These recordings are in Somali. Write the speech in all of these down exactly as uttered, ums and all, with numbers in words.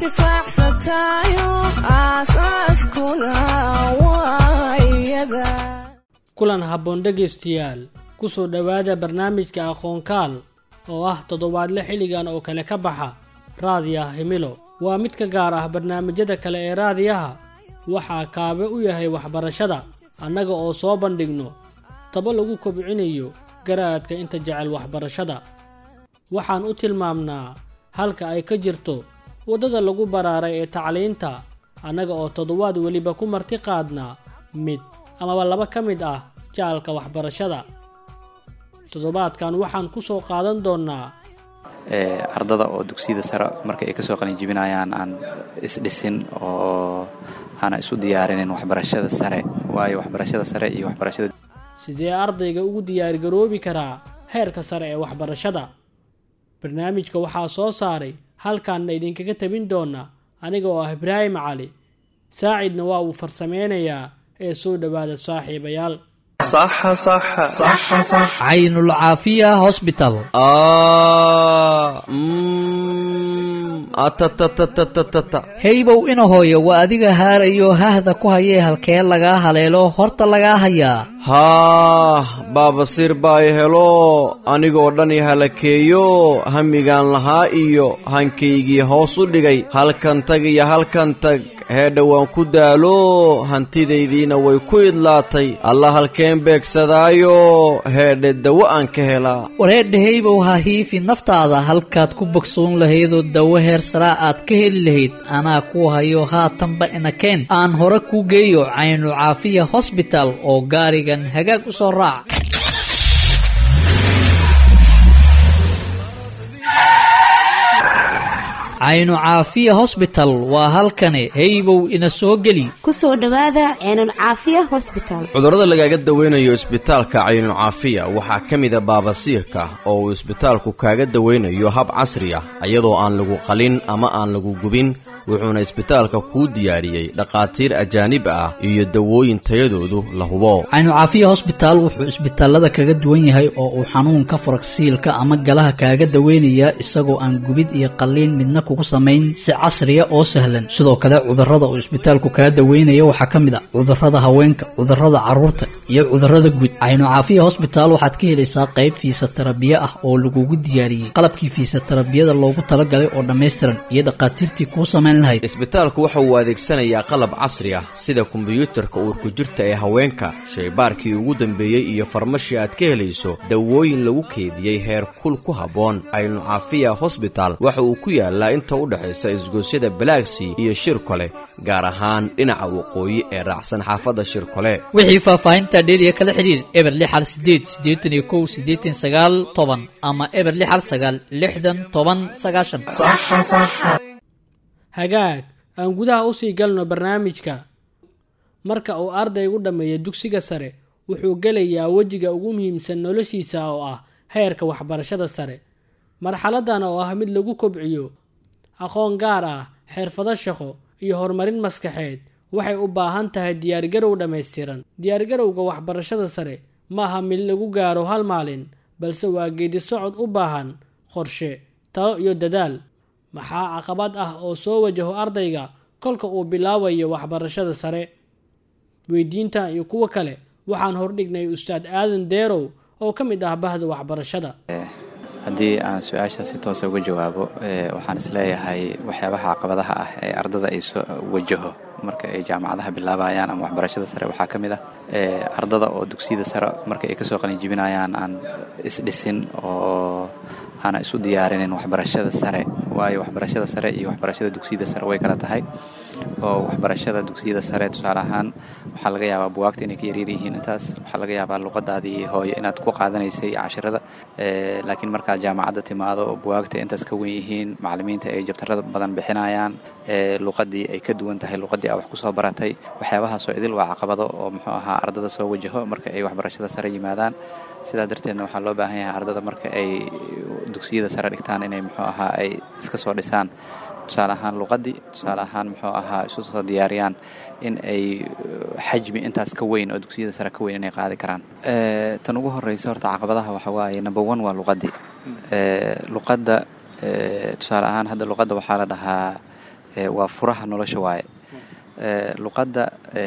Anfacsantayo aasaaskuna waa iyada. Kulan habboon dhegaystayaal, kusoo dhowaada barnaamijka Aqoonkaal oo ah toddobaadle xilligan oo kale ka baxa Raadiyaha Himilo. Waa mid ka gaar ah barnaamijyada kale ee raadiyaha. Waxaa kaabe u yahay waxbarashada, annaga oo soo bandhigno tabo lagu kobcinayo garaadka inta jecel waxbarashada. Waxaan u tilmaamnaa halka ay ka jirto waddada lagu baraaray ee tacliinta, annaga oo toddobaad weliba ku marti qaadnaa mid amaba laba ka mid ah jaalka waxbarashada. Toddobaadkan waxaan ku soo qaadan doonnaa ardada oo dugsiyada sare marka ay kasoo qalinjibinayaan aan isdhisin oo aana isu diyaarinin waxbarashada sare, waayo waxbarashada sare iyo waxbarashada Sidee ardayga ugu diyaargaroobi karaa heerka sare ee waxbarashada? Barnaamijka waxaa soo saaray, halkaanna idinkaga tabin doona aniga oo ah Ibraahim Cali Saacidna, waa uu farsameynayaa. Ee soo dhowaada saaxiibayaal. Caynul Caafiya Hosbital. Heybow ina hooyo, waa adiga haarayo hahda ku hayee, halkee lagaa haleelo horta lagaa hayaa? Haah, baabasiir baa i helo, anigoo dhan i halakeeyo, hamigaan lahaa iyo hankaygii hoos u dhigay. Halkan tag iyo halkan tag, heedha waan ku daalo, hantidaydiina way ku idlaatay. Alla, halkeen beegsadaayo heedhe dawo aan ka helaa? Wareedha heybow, ha hiifi naftaada. Halkaad ku bogsoon lahaydoo dawo heer saraa aad ka heli lahayd anaa kuu hayo. Haatanba ina keen, aan hore kuu geeyo Caynu Caafiya Hosbital oo gaarigan hagaag u soo raac. Caynu Caafiya Hosbital waa halkani, heybow ina soo geli. Kusoo dhowaada Ceenul Caafiya Hosbital. Cudurrada lagaaga dawaynayo isbitaalka Caynu Caafiya waxaa ka mida baabasiirka, oo uu isbitaalku kaaga dawaynayo hab casri ah, iyadoo aan lagu qalin ama aan lagu gubin. Wuxuuna isbitaalka kuu diyaariyey dhakhaatiir ajaanib ah iyo dawooyin tayadoodu la hubo. Caynu Caafiya Hosbitaal wuxuu isbitaalada kaga duwan yahay oo uu xanuunka faragsiilka ama galaha kaaga daweynayaa isagoo aan gubid iyo qalliin midna kugu samayn, si casriya oo sahlan. Sidoo kale cudurrada uu isbitaalku kaga daweynaya waxaa ka mid ah cudurrada haweenka, cudurrada carruurta iyo cudurrada guud. Caynu Caafiya Hosbitaal waxaad ka helaysaa qayb fiisatarabiye ah oo lagugu diyaariyey qalabkii fiisatarabiyada loogu talagalay oo dhammaystiran iyo dhakhaatiirtii kuu samayn lahayd. Isbitaalku waxa uu adeegsanayaa qalab casri ah sida kombiyuutarka uurku jirta ee haweenka, shaybaarkii ugu dambeeyey iyo farmashi aad ka helayso dawooyin lagu keediyey heer kul ku habboon. Caynu Caafiya Hosbital waxa uu ku yaalaa inta u dhexaysa isgoosyada Balaagsii iyo Shirkole, gaar ahaan dhinaca waqooyi ee raacsan xaafadda Shirkole. Wixii faahfaahinta dheeriya kala xidhiir eber lix hal sideed siddeetan iyo kow siddeetan sagaal toban ama eber lix hal sagaal lixdan toban sagaashan. Hagaag, aan gudaha usii galno barnaamijka. Marka uu ardaygu dhammeeyo dugsiga sare, wuxuu gelayaa wejiga ugu muhiimsan noloshiisa oo ah heerka waxbarashada sare. Marxaladan oo ah mid lagu kobciyo aqoon gaar ah, xirfado shaqo iyo horumarin maskaxeed, waxay u baahan tahay diyaargarow dhammaystiran. Diyaargarowga waxbarashada sare ma aha mid lagu gaaro hal maalin, balse waa geedi socod u baahan qorshe, talo iyo dadaal. Maxaa caqabad ah oo soo wajaho ardayga kolka uu bilaabayo waxbarashada sare? Weydiintan iyo kuwo kale waxaan hordhignay Ustaad Aadan Deerow oo ka mid ah bahda waxbarashada. Haddii aan su-aasha si toosa uga jawaabo, waxaan isleeyahay waxyaabaha caqabadaha ah ee ardada ay soo wajaho marka ay jaamacadaha bilaabayaan ama waxbarashada sare waxaa ka mid ah ardada oo dugsiyada sare marka ay kasoo qalinjibinayaan aan isdhisin oo aana isu diyaarinin waxbarashada sare, waayo waxbarashada sare iyo waxbarashada dugsiyada sare way kala tahay. Oo waxbarashada dugsiyada sare, tusaale ahaan, waxaa laga yaabaa buwaagta inay ka yaryar yihiin intaas, waxaa laga yaabaa luqadaadii hooyo inaad ku qaadanaysay cashirada, laakiin markaad jaamacadda timaado oo buwaagta intaas ka wen yihiin, macallimiinta ay jabtarada badan bixinayaan, luqadii ay ka duwan tahay luqadii aa wax kusoo baratay, waxyaabahaasoo idil waa caqabado oo muxuu ahaa ardada soo wajaho marka ay waxbarashada sare yimaadaan. Sidaa darteedna waxaa loo baahan yahay ardada marka ay dugsiyada sare dhigtaan inay muxuu ahaa ay iska soo dhisaan, tusaale ahaan luqadii, tusaale ahaan muxuu ahaa isu soo diyaariyaan in ay xajmi intaas ka weyn oo dugsiyada sare ka weyn inay qaadi karaan. Tan ugu horeysa horta caqabadaha waxa waaye, number one, waa luqadii. Luqadda, tusaale ahaan, hadda luqadda waxaa la dhahaa Waa furaha nolosha waaye. Luqadda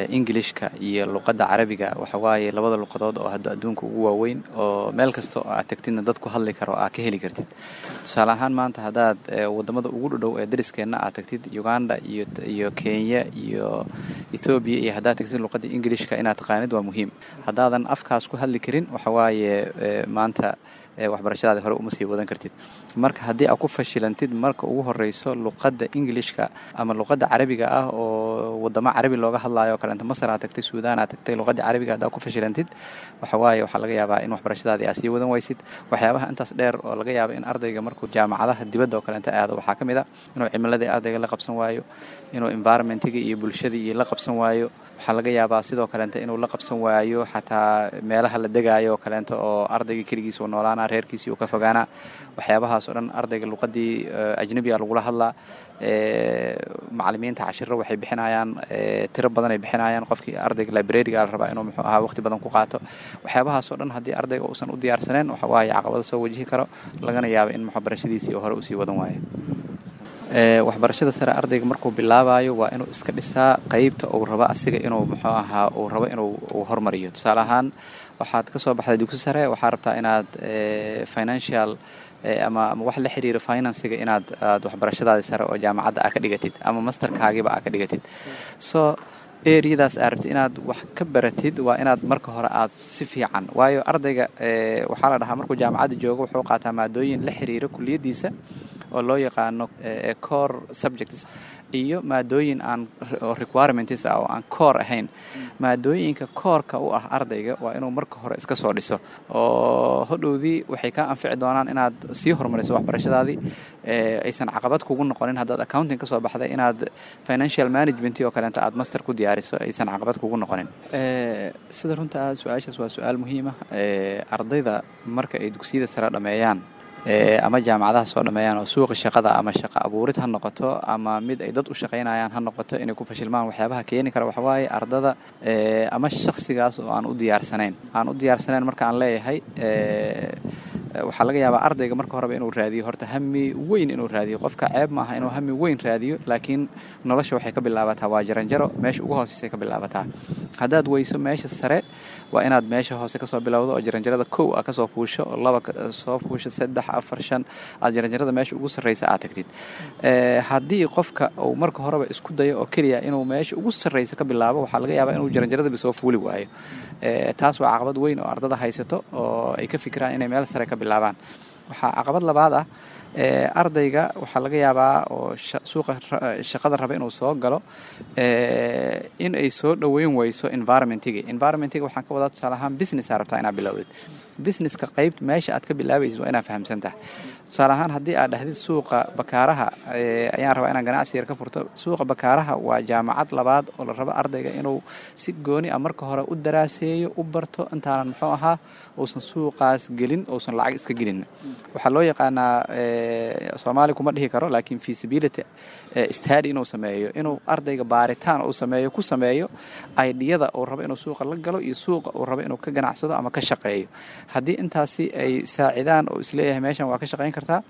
Englishka iyo luqadda Carabiga waxa waaye labada luqadood oo hadda adduunka ugu waaweyn, oo meel kasta oo aad tagtidna dad ku hadli karo aad ka heli kartid. Tusaale ahaan, maanta haddaad wadamada ugu dhodhow ee dariskeenna aad tagtid, Uganda iyo iyo Kenya iyo Etoobiya iyo haddaad tagtid, luqadda Englishka inaad taqaanid waa muhiim. Haddaadan afkaas ku hadli karin, waxa waaye maanta waxbarashadaadi hore uma sii wadan kartid. Marka haddii aad ku fashilantid marka ugu horeyso luqadda Englishka ama luqadda Carabiga ah oo wadamo Carabi looga hadlayo o kaleeto, Masar aad tagtay, Suudaan aad tagtay, luqadda Carabiga haddaad ku fashilantid, waxa waaye waxaa laga yaabaa in waxbarashadaadii aad sii wadan waysid. Waxyaabaha intaas dheer oo laga yaaba in ardayga markuu jaamacadaha dibadda oo kaleeto aado waxaa ka mid a inuu cimiladii ardayga la qabsan waayo, inuu environmentiga iyo bulshadii iyo la qabsan waayo. Waxaa laga yaabaa sidoo kaleeto inuu la qabsan waayo xataa meelaha la degaayo oo kaleeto, oo ardayga keligiis uu noolaana, reerkiisii uu ka fogaana. Waxyaabahaas oo dhan, ardayga luqadii ajnabiga lagula hadlaa, macalimiinta cashiro waxay bixinayaan tiro badan ay bixinayaan, qofkii ardayga libraryga la rabaa inuu muxuu ahaa waqti badan ku qaato. Waxyaabahaas oo dhan haddii ardayga uusan u diyaarsaneen, waxa waaye caqabado soo wajihi karo, lagana yaabo in waxbarashadiisii hore usii wadan waayo. Waxbarashada sare ardayga markuu bilaabayo waa inuu iska dhisaa qeybta uu rabo asiga inuu muxuu ahaa uu rabo inuu uu hormariyo. Tusaale ahaan, waxaad ka soo baxday dugsi sare, waxaa rabtaa inaad financial ama ama wax la xiriira financiga inaad aad waxbarashadaadi sare oo jaamacadda aa ka dhigatid ama masterkaagiba aa ka dhigatid. So areadaas aa rabtid inaad wax ka baratid waa inaad marka hore aad si fiican, waayo ardayga waxaa la dhahaa markuu jaamacadda joogo wuxuu qaataa maadooyin la xiriira kuliyaddiisa oo loo yaqaano core subjects iyo maadooyin aan oo requirements ah oo aan core ahayn. Maadooyinka coreka u ah ardayga waa inuu marka hore iska soo dhiso, oo hodhowdii waxay kaa anfici doonaan inaad sii horumariso waxbarashadaadii, aysan caqabad kugu noqonin haddaad accounting ka soo baxday inaad financial management oo kaleeto aad master ku diyaariso, aysan caqabad kugu noqonin. Sida runta ah, su-aashaas waa su-aal muhiim ah. Ardayda marka ay dugsiyada sare dhameeyaan ama jaamacadaha soo dhameeyaan oo suuqa shaqada ama shaqo abuurid ha noqoto ama mid ay dad u shaqaynayaan ha noqoto, inay ku fashilmaan waxyaabaha keeni kara waxawaaye ardada ama shakhsigaas oo aan u diyaarsanayn. Aan u diyaarsanayn marka aan leeyahay, waxaa laga yaabaa ardayga marka horeba inuu raadiyo horta hami weyn inuu raadiyo. Qofka ceeb maaha inuu hami weyn raadiyo, laakiin nolosha waxay ka bilaabataa waa jaranjaro, meesha ugu hooseysay ka bilaabataa. Haddaad weyso meesha sare, waa inaad meesha hoose kasoo bilowdo oo jaranjarada kow a kasoo fuusho oo laba soo fuusho, saddex, afar, shan, aad jaranjarada meesha ugu sarreysa aad tagtid. Haddii qofka uu marka horeba isku dayo oo keliya inuu meesha ugu sarreysa ka bilaabo, waxaa laga yaabaa inuu jaranjaradaba soo fuuli waayo. Taas waa caqabad weyn oo ardada haysato oo ay ka fikiraan inay meel sare ka bilaabaan. Waxaa caqabad labaad ah, ardayga waxaa laga yaabaa oo suuqa shaqada raba inuu soo galo in ay soo dhoweyn weyso environmentiga. Environmentiga waxaan ka wadaa, tusaale ahaan, business aa rabtaa inaad bilowdid. Businesska qayb meesha aad ka bilaabaysid waa inaad fahamsan tahay. Tusaale ahaan, haddii aad dhahdid suuqa Bakaaraha ayaan rabaa inaan ganacsi yar ka furto, suuqa Bakaaraha waa jaamacad labaad oo la rabo ardayga inuu si gooni ah marka hore u daraaseeyo, u barto, intaanan muxuu ahaa uusan suuqaas gelin, uusan lacag iska gelin. Waxaa loo yaqaanaa, Soomaali kuma dhihi karo, laakiin feasibility study inuu sameeyo, inuu ardayga baaritaan uu sameeyo, ku sameeyo ideada uu rabo inuu suuqa la galo iyo suuqa uu rabo inuu ka ganacsado ama ka shaqeeyo. Haddii intaasi ay saacidaan oo isleeyahay meeshan waa ka shaqayn kartaa,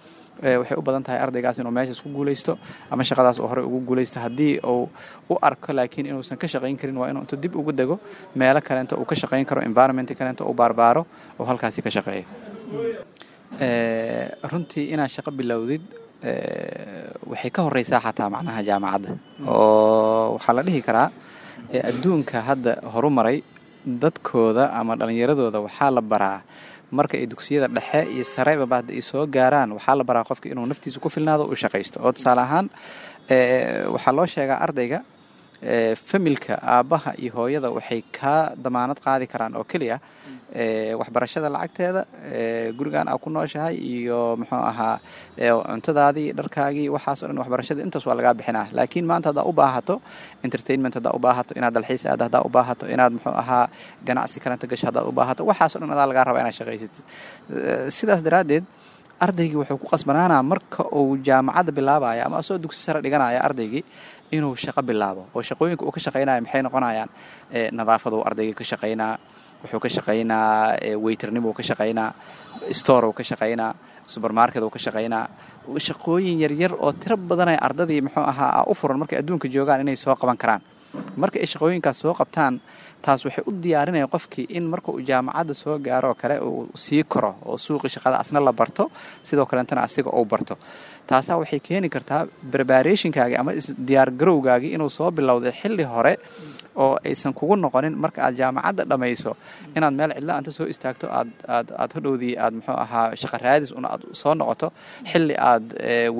waxay u badan tahay ardaygaas inuu meeshaas ku guuleysto ama shaqadaas uu horey ugu guuleysto. Haddii uu u arko laakiin inuusan ka shaqayn karin, waa inuu intuu dib ugu dego meelo kaleento uu ka shaqayn karo, environment kaleento uu baarbaaro oo halkaasi ka shaqeeyo. Runtii inaad shaqo bilowdid waxay ka horeysaa xataa macnaha jaamacadda, oo waxaa la dhihi karaa adduunka hadda horumaray dadkooda ama dhallinyaradooda waxaa la baraa marka ay dugsiyada dhexe iyo sareba hadda ay soo gaaraan, waxaa la baraa qofka inuu naftiisa ku filnaado, u shaqaysto. Oo tusaale ahaan, waxaa loo sheegaa ardayga, familka aabbaha iyo hooyada waxay kaa damaanad qaadi karaan oo keliya waxbarashada lacagteeda, gurigan aa ku nooshahay iyo muxuu ahaa cuntadaadii, dharkaagii, waxaas o dhan. Waxbarashada intaas waa lagaa bixinaa, laakiin maanta haddaa u baahato entertainment, haddaa u baahato inaad dalxiis aado, haddaa u baahato inaad muxuu ahaa ganacsi kalenta gasho, haddaad u baahato, waxaas o dhan adaa lagaa rabaa inaad shaqaysid. Sidaas daraaddeed ardaygii wuxuu ku qasbanaanaa marka uu jaamacadda bilaabaya ama asoo dugsi sare dhiganaya ardaygii inuu shaqo bilaabo. Oo shaqooyinka uu ka shaqaynaya maxay noqonayaan? Nadaafaduu ardaygii ka shaqaynaa, wuxuu ka shaqaynaa waiternimuu ka shaqaynaa, store uu ka shaqaynaa, supermarket uu ka shaqaynaa. Shaqooyin yaryar oo tiro badan ay ardadii muxuu ahaa u furan markay adduunka joogaan inay soo qaban karaan. Marka ay shaqooyinkaas soo qabtaan, taas waxay u diyaarinaya qofkii in marka uu jaamacadda soo gaaro oo kale uu sii koro oo suuqii shaqada asna la barto, sidoo kaleetana asiga uu barto. Taasaa waxay keeni kartaa preparationkaagii ama diyaargarowgaagii inuu soo bilowday xilli hore, oo aysan kugu noqonin marka aad jaamacadda dhammayso inaad meel cidla anta soo istaagto, aad aad aad hodhowdii aad muxuu ahaa shaqa raadis una aad soo noqoto xilli aad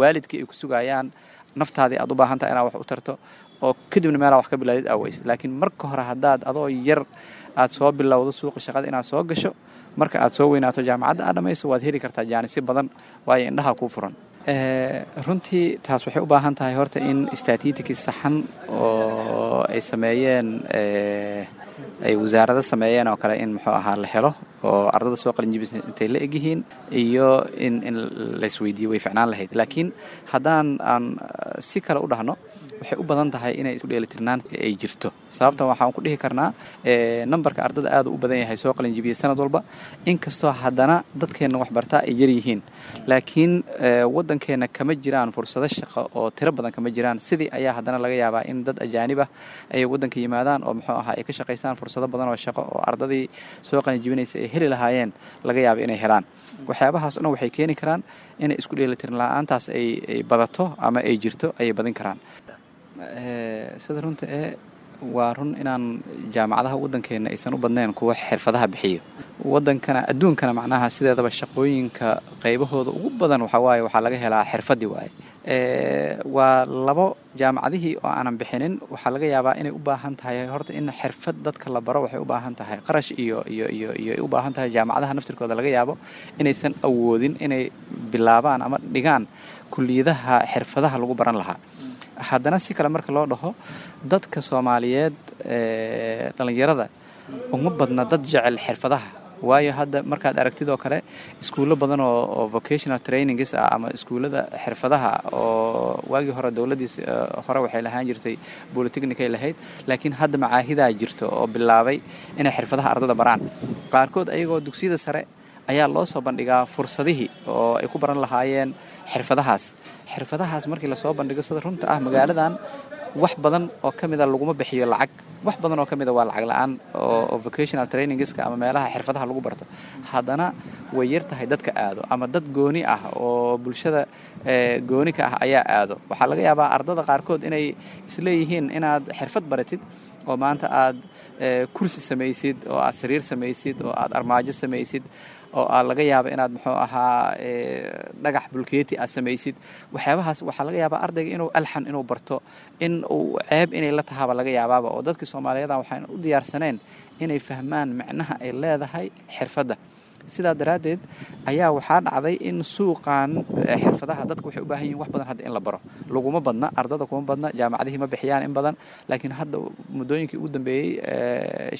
waalidkii ay ku sugayaan, naftaadii aad u baahan tahay inaad wax u tarto, oo kadibna meelaa wax ka bilaadid aaweys. Laakiin marka hore haddaad adoo yar aad soo bilowdo suuqa shaqada inaad soo gasho, marka aad soo weynaato jaamacadda aad dhamayso, waad heli kartaa jaanisyo badan, waayo indhaha kuu furan. Runtii taas waxay u baahan tahay horta in statistics saxan oo ay sameeyeen, ay wasaarado sameeyeen oo kale, in muxuu ahaa la helo oo ardada soo qalinjibisa intay la egyihiin iyo in in laisweydiiyo way ficnaan lahayd. Laakiin haddaan aan si kale u dhahno, waxay u badan tahay inay isku dheelitirnaan ay jirto. Sababtan waxaan ku dhihi karnaa, nambarka ardada aad u badan yahay soo qalinjibiyay sanad walba, inkastoo haddana dadkeenna waxbartaa ay yar yihiin, laakiin waddankeenna kama jiraan fursado shaqo oo tiro badan kama jiraan. Sidii ayaa haddana laga yaabaa in dad ajaanib ah ay waddanka yimaadaan oo muxuu ahaa ay ka shaqaystaan, fursado badan oo shaqo oo ardadii soo qalinjibinaysa ay heli lahaayeen laga yaaba inay helaan. Waxyaabahaas o dhan waxay keeni karaan inay isku dheelitirin la-aantaas ay ay badato ama ay jirto ayay badin karaan. Sida runta ee waa run inaan jaamacadaha waddankeenna aysan u badnayn kuwa xirfadaha bixiyo. Waddankana adduunkana macnaha sideedaba shaqooyinka qaybahooda ugu badan waxaa waaye waxaa laga helaa xirfadii waaye. Waa labo jaamacadihii oo aanan bixinin. Waxaa laga yaabaa inay u baahan tahay horta in xirfad dadka la baro, waxay u baahan tahay qarash iyo iyo iyo iyo ay u baahan tahay. Jaamacadaha naftirkooda laga yaabo inaysan awoodin inay bilaabaan ama dhigaan kuliyadaha xirfadaha lagu baran lahaa. Haddana si kale marka loo dhaho, dadka Soomaaliyeed dhalinyarada uma badna dad jecel xirfadaha, waayo hadda markaad aragtid oo kale iskuullo badan oo oo vocational trainings ah ama iskuullada xirfadaha oo waagii hore dowladdiis hore waxay lahaan jirtay polytechnic ay lahayd, laakiin hadda macaahidaa jirto oo bilaabay inay xirfadaha ardada baraan. Qaarkood ayagoo dugsiyada sare ayaa loo soo bandhigaa fursadihii oo ay ku baran lahaayeen xirfadahaas. Xirfadahaas markii lasoo bandhigo, sida runta ah, magaaladan wax badan oo ka mida laguma bixiyo lacag, wax badan oo ka mida waa lacag la-aan oo vocational trainingska ama meelaha xirfadaha lagu barto. Haddana way yar tahay dadka aado, ama dad gooni ah oo bulshada gooni ka ah ayaa aado. Waxaa laga yaabaa ardada qaarkood inay isleeyihiin inaad xirfad baratid oo maanta aad kursi samaysid oo aad sariir samaysid oo aad armaajo samaysid oo aa laga yaaba inaad muxuu ahaa dhagax bulkeeti aad samaysid, waxyaabahaas waxaa laga yaabaa ardayga inuu alxan inuu barto in uu ceeb inay la tahaaba laga yaabaaba, oo dadkii Soomaaliyeeda waxaan u diyaarsaneen inay fahmaan macnaha ay leedahay xirfadda. Sidaa daraaddeed ayaa waxaa dhacday in suuqan xirfadaha dadka waxay u baahan yihin wax badan hadda in la baro laguma badna, ardada kuma badna, jaamacadihii ma bixiyaan in badan. Laakiin hadda muddooyinkii ugu dambeeyey,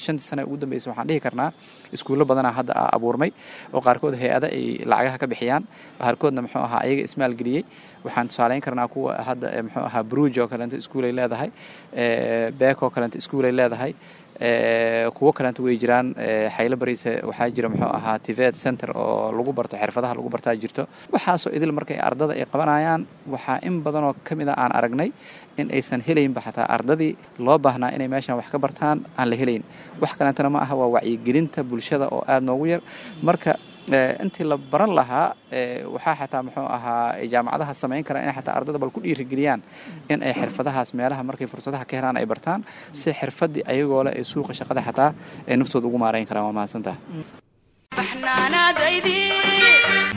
shantii sane ugu dambeysay, waxaan dhihi karnaa iskuullo badanaa hadda abuurmay oo qaarkood hay-ada ay lacagaha ka bixiyaan, qaarkoodna muxuu ahaa ayaga ismaalgeliyey. Waxaan tusaaleyn karnaa kuwa hadda muxuu ahaa Bruj oo kaleento iskuul ay leedahay, Beek oo kaleento iskuul ay leedahay, kuwo kaleento way jiraan. Xaylo Bariise waxaa jira muxuu ahaa TVET center oo lagu barto xirfadaha lagu bartaa jirto. Waxaasoo idil markay ardada ay qabanayaan, waxaa in badanoo ka mid a aan aragnay in aysan helaynba xataa ardadii loo baahnaa inay meeshan wax ka bartaan aan la helayn. Wax kaleentana ma aha, waa wacyigelinta bulshada oo aada noogu yar. Marka intii la baran lahaa, waxaa xataa muxuu ahaa jaamacadaha samayn karaan inay xataa ardada bal ku dhiirigeliyaan in ay xirfadahaas meelaha markay fursadaha ka helaan ay bartaan, si xirfadii ayagoo leh ay suuqa shaqada xataa ay naftooda ugu maarayn karaan. Waa mahadsantaha.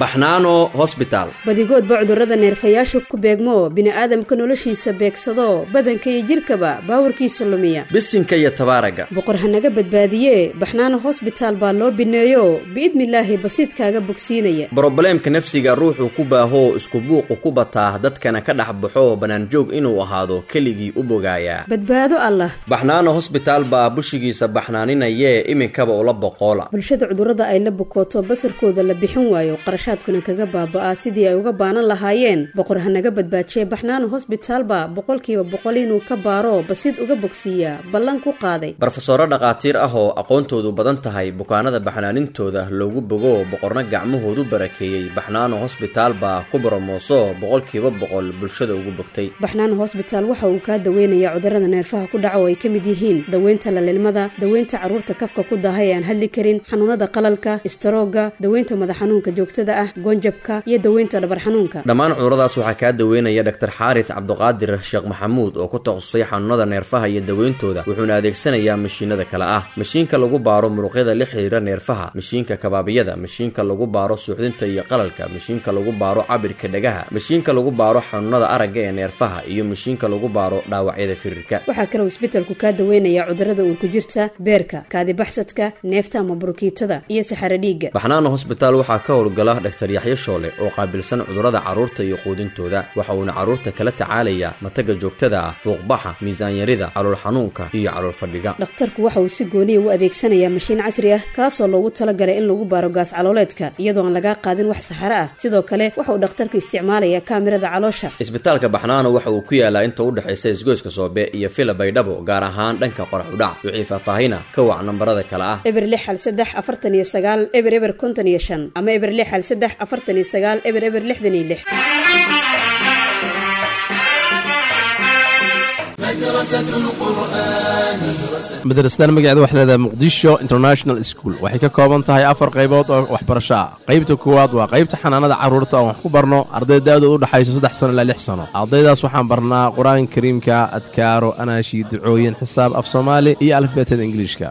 Baxnaano Hosbitaal. Badigoodba cudurrada neerfayaashu ku beegmo, bini'aadamka noloshiisa beegsado, badanka iyo jidhkaba baawarkiisa lumiya. Bisinka iyo tabaaraga. Boqor hanaga badbaadiye, Baxnaano Hosbitaal baa loo bineeyo, biidnilaahi basiidkaaga bogsiinaya. Brobleemka nafsiga ruuxuu ku baahoo isku buuqu ku bataa, dadkana ka dhex baxo, bannaanjoog inuu ahaado keligii u bogaayaa. Badbaado Allah. Baxnaano Hosbitaal baa bushigiisa baxnaaninayee, iminkaba ula boqoola. Bulshada cudurrada ay la bukooto, basarkooda la bixin waayo, qarashaad Qarashaadkuna kaga baaba'aa sidii ay uga baanan lahaayeen, Boqor hanaga badbaajiye. Baxnaano Hosbitaalba boqolkiiba boqol inuu ka baaro, basid uga bogsiiyaa ballan ku qaaday. Barofesoro dhakhaatiir ah oo aqoontoodu badan tahay, bukaanada baxnaanintooda loogu bogo, boqorna gacmahoodu barakeeyey, Baxnaano Hosbitaal baa ku boromooso boqolkiiba boqol bulshada ugu bogtay. Baxnaano Hosbitaal waxa uu kaa daweynayaa cudurrada neerfaha ku dhaca oo ay ka mid yihiin daweynta lalilmada, daweynta carruurta kafka ku daahay ee aan hadli karin, xanuunada qalalka, istaroogga, daweynta madax xanuunka joogtada ah, goonjabka iyo daweynta dhabar xanuunka. Dhammaan cuduradaas waxaa kaa daweynaya Dhaktar Xaaris Cabduqaadir Sheekh Maxamuud oo ku takhasusay xanuunada neerfaha iyo daweyntooda, wuxuuna adeegsanayaa mashiinada kale ah: mashiinka lagu baaro muruqyada la xiriira neerfaha, mashiinka kabaabiyada, mashiinka lagu baaro suuxdinta iyo qalalka, mashiinka lagu baaro cabirka dhagaha, mashiinka lagu baaro xanuunada aragga ee neerfaha iyo mashiinka lagu baaro dhaawacyada firirka. Waxaa kaloo isbitalku kaa daweynayaa cudurrada uurku jirta, beerka, kaadibaxsadka, neefta ama burukiitada iyo saxaro dhiigga. Baxnaano Hosbitaal waxaa ka howlgala Dhaktar Yaxyo Shoole oo qaabilsan cudurrada carruurta iyo quudintooda. Waxa uuna carruurta kala tacaalayaa mataga joogtada ah, fuuqbaxa, miisaanyarida, calool xanuunka iyo calool fadhiga. Dhakhtarku waxa uu si gooniya u adeegsanayaa mashiin casri ah, kaasoo loogu talagalay in lagu baaro gaas calooleedka iyadoo aan lagaa qaadin wax saxaro ah. Sidoo kale waxa uu dhakhtarku isticmaalayaa kaamirada caloosha. Isbitaalka Baxnaano waxa uu ku yaalaa inta u dhexaysa isgoyska Soobe iyo Fila Baydhabo, gaar ahaan dhanka qorax udhac. Wixii faahfaahina ka wac nambarada kale ah: eber lix hal saddex afartan iyo sagaal eber eber konton iyo shan ama eber lix hal saddex afartan iyo sagaal eber eber lixdan iyo lix. Madrasadan magaceeda waxay leedahay Muqdisho International School. Waxay ka kooban tahay afar qaybood oo waxbarasho ah. Qaybta koowaad waa qaybta xanaanada carruurta oo wax ku barno arday da'doodu u dhaxayso saddex sano ilaa lix sano. Ardaydaas waxaan barnaa Qur-aanka Kariimka, adkaaro, anaashi, ducooyin, xisaab, af Soomaali iyo alifbeetada Ingiliishka.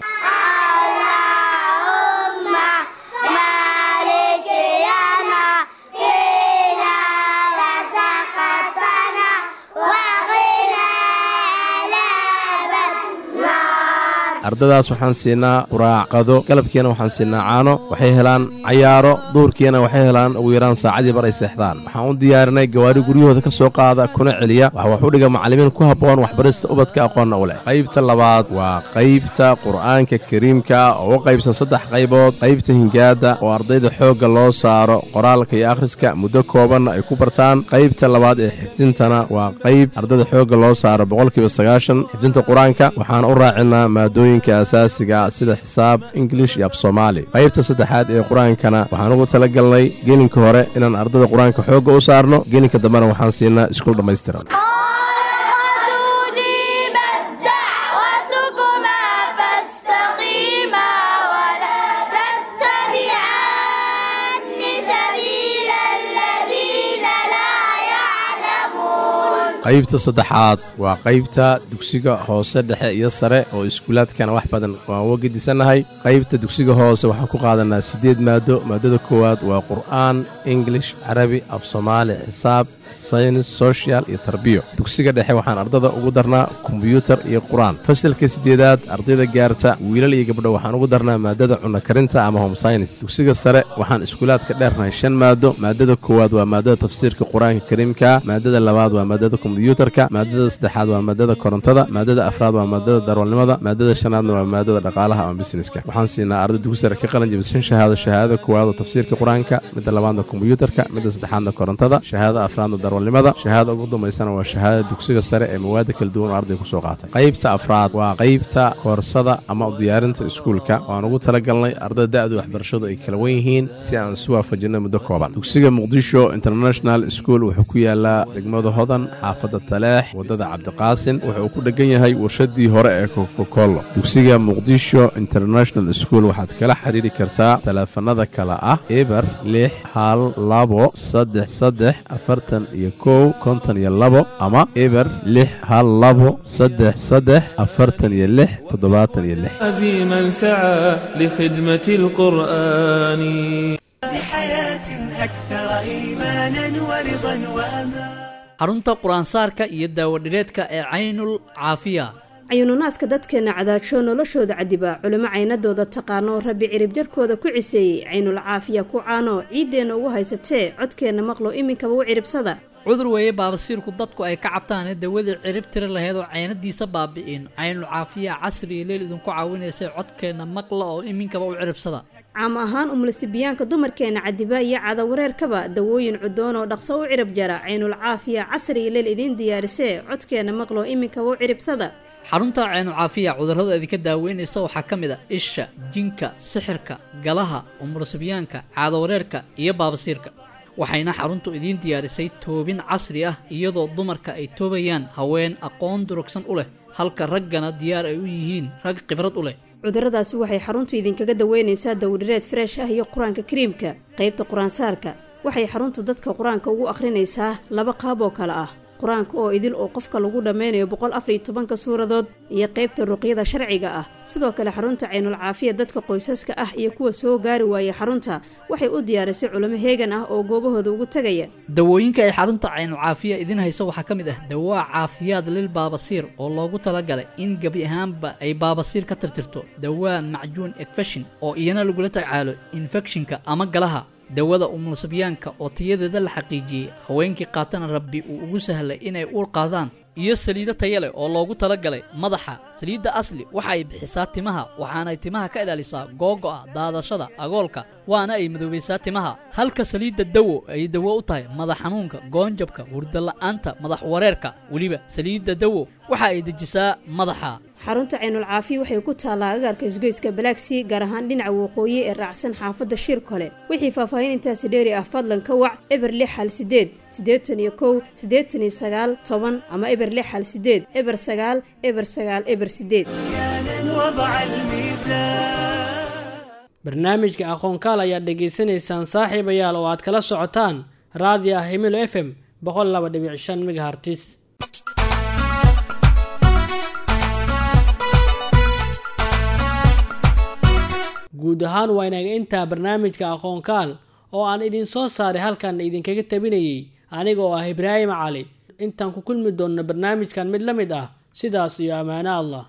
Ardadaas waxaan siinaa quraac, qado, galabkiina waxaan siinaa caano. Waxay helaan cayaaro, duurkiina waxay helaan ugu yaraan saacadii bar ay seexdaan. Waxaan u diyaarinay gawaari guryahooda ka soo qaada kuna celiya. Waxa wax u dhiga macallimiin ku habboon waxbarista ubadka, aqoonna u leh. Qaybta labaad waa qaybta Qur'aanka Kariimka oo u qaybsan saddex qaybood: qaybta hingaadda oo ardayda xoogga loo saaro qoraalka iyo akhriska, muddo koobanna ay ku bartaan; qaybta labaad ee xifdintana waa qayb ardayda xoogga loo saaro boqolkiiba sagaashan xifdinta Qur-aanka, waxaana u raacinaa maadooyinka asaasiga sida xisaab, Ingilish iyo af Soomaali; qaybta saddexaad ee Qur-aankana waxaan ugu talagalnay gelinka hore inaan ardayda Qur-aanka xoogga u saarno, gelinka dambena waxaan siinaa iskuul dhammaystiran. دعوتكما فاستقيما ولا تتبعان سبيل الذين لا يعلمون. Qaybta saddexaad waa qaybta dugsiga hoose, dhexe iyo sare oo iskuulaadkana wax badan waan uga gedisannahay. Qaybta dugsiga hoose waxaan ku qaadanaa siddeed maado. Maadada koowaad waa Qur'aan, English, Carabi, af Soomaali, xisaab, saynis, social iyo tarbiyo. Dugsiga dhexe waxaan ardada ugu darnaa kombyuutar iyo Qur-aan. Fasalka sideedaad ardayda gaarta, wiilal iyo gabdho, waxaan ugu darnaa maadada cunno karinta ama home science. Dugsiga sare waxaan iskuulaadka dheernahay shan maado. Maadada koowaad waa maadada tafsiirka Qur-aanka Kariimka, maadada labaad waa maadada kombyuutarka, maadada saddexaad waa maadada korontada, maadada afraad waa maadada darwalnimada, maadada shanaadna waa maadada dhaqaalaha ama businesska. Waxaan siinaa arday dugsi sare ka qalin jabisay shan shahaado: shahaadada koowaad oo tafsiirka Qur-aanka, midda labaadna kombyuutarka, midda saddexaadna korontada, shahaadada afraadna darwalnimada, shahaadada ugu dambaysana waa shahaadada dugsiga sare ee mawaada kala duwan oo ardayga kusoo qaatay. Qaybta afraad waa qaybta koorsada ama diyaarinta iskuulka oo aan ugu talagalnay ardayda da'du waxbarashadu ay kala wen yihiin si aan isu waafajinay muddo kooban. Dugsiga Muqdisho International School wuxuu ku yaalaa degmada Hodan, xaafadda Taleex, waddada Cabdiqaasin. Wuxuu ku dhegan yahay warshadii hore ee Kokokolo. Dugsiga Muqdisho International School waxaad kala xiriiri kartaa taleefanada kale ah: eber lix hal labo saddex saddex afartan iyo kow konton iyo labo ama eber lix hal labo saddex saddex afartan iyo lix toddobaatan iyo lix. عزيما سعى لخدمة القرآن. بحياة أكثر إيمانا ورضا وأمان. Xarunta qur-aansaarka iyo daawadhireedka ee Caynul Caafiya. Cayununaaska dadkeenna cadaajoo noloshooda cadiba, culimo caynadooda taqaano, Rabbi ciribjarkooda ku ciseeyey, Caynul Caafiya ku caano, ciiddeenna ugu haysatee, codkeenna maqlo, iminkaba u ciribsada. Cudur weeye baabasiirku dadku ay ka cabtaane, dawadii cirib tiri lahayd oo caynadiisa baabi'in, Caynul Caafiya casri iyo leel idinku caawinaysay. Codkeenna maqla oo iminkaba u ciribsada. Caam ahaan umulisibiyaanka dumarkeena cadiba iyo cadawareerkaba, dawooyin cudoon oo dhaqso u cirib jara Caynul Caafiya casri iyo leel idiin diyaarisee, codkeenna maqloo iminkaba u ciribsada. Xarunta Caynu Caafiya cudurrada idinka daaweynaysa waxaa ka mid a isha, jinka, sixirka, galaha, umursibyaanka, caadawareerka iyo baabasiirka. Waxayna xaruntu idiin diyaarisay toobin casri ah, iyadoo dumarka ay toobayaan haween aqoon durugsan u leh, halka raggana diyaar ay u yihiin rag khibrad u leh. Cudurradaasi waxay xaruntu idinkaga daweynaysaa dawdhireed fresh ah iyo qur-aanka kariimka. Qaybta qur-aansaarka waxay xaruntu dadka qur-aanka ugu akhrinaysaa laba qaab oo kale ah: qur-aanka oo idil oo qofka lagu dhammaynayo boqol afar iyo tobanka suuradood iyo qaybta ruqyada sharciga ah. Sidoo kale xarunta Caynul Caafiya dadka qoysaska ah iyo kuwa soo gaari waaya xarunta waxay u diyaarisay culimo heegan ah oo goobahooda ugu tegaya. Dawooyinka ay xarunta Caynul Caafiya idiin hayso waxaa ka mid ah dawaa caafiyaad lil baabasiir oo loogu talagalay in gebi ahaanba ay baabasiir ka tirtirto, dawaa macjuun ekfashin oo iyana lagula tacaalo infekshinka ama galaha, dawada umulsabyaanka oo tayadeeda la xaqiijiyey, haweenkii qaatana Rabbi uu ugu sahlay inay uur qaadaan, iyo saliido taya leh oo loogu talagalay madaxa. Saliidda Asli waxa ay bixisaa timaha, waxaanay timaha ka ilaalisaa googo'a, daadashada, agoolka, waana ay madoobaysaa timaha, halka saliidda Dawo ay dawo u tahay madax xanuunka, goonjabka, hurdala'aanta, madax wareerka. Weliba saliidda Dawo waxa ay dejisaa madaxa. Xarunta Caynul Caafiya waxay ku taallaa agaarka isgoyska Balaagsii, gaar ahaan dhinaca waqooyi ee raacsan xaafadda Shir Kole. Wixii faahfaahin intaasi dheeri ah fadlan ka wac eber lix hal sideed siddeetan iyo kow siddeetan iyo sagaal toban ama eber lix hal sideed eber sagaal eber sagaal eber sideed. وضع الميزان. Barnaamijka Aqoonkaal ayaad dhegaysanaysaan, saaxiibayaal, oo aad kala socotaan raadiyaha Himilo F M boqol laba dhibic shan megahertz. Guud ahaan waa inaga intaa barnaamijka Aqoonkaal oo aan idin soo saaray, halkan idinkaga tabinayay aniga oo ah Ibraahim Cali. Intaan ku kulmi doonno barnaamijkan mid la mid ah, sidaas iyo ammaano Allah.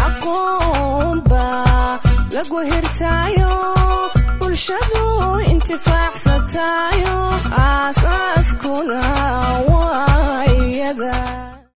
Aqoon baa lagu hirtaayo, bulshadu intifaac.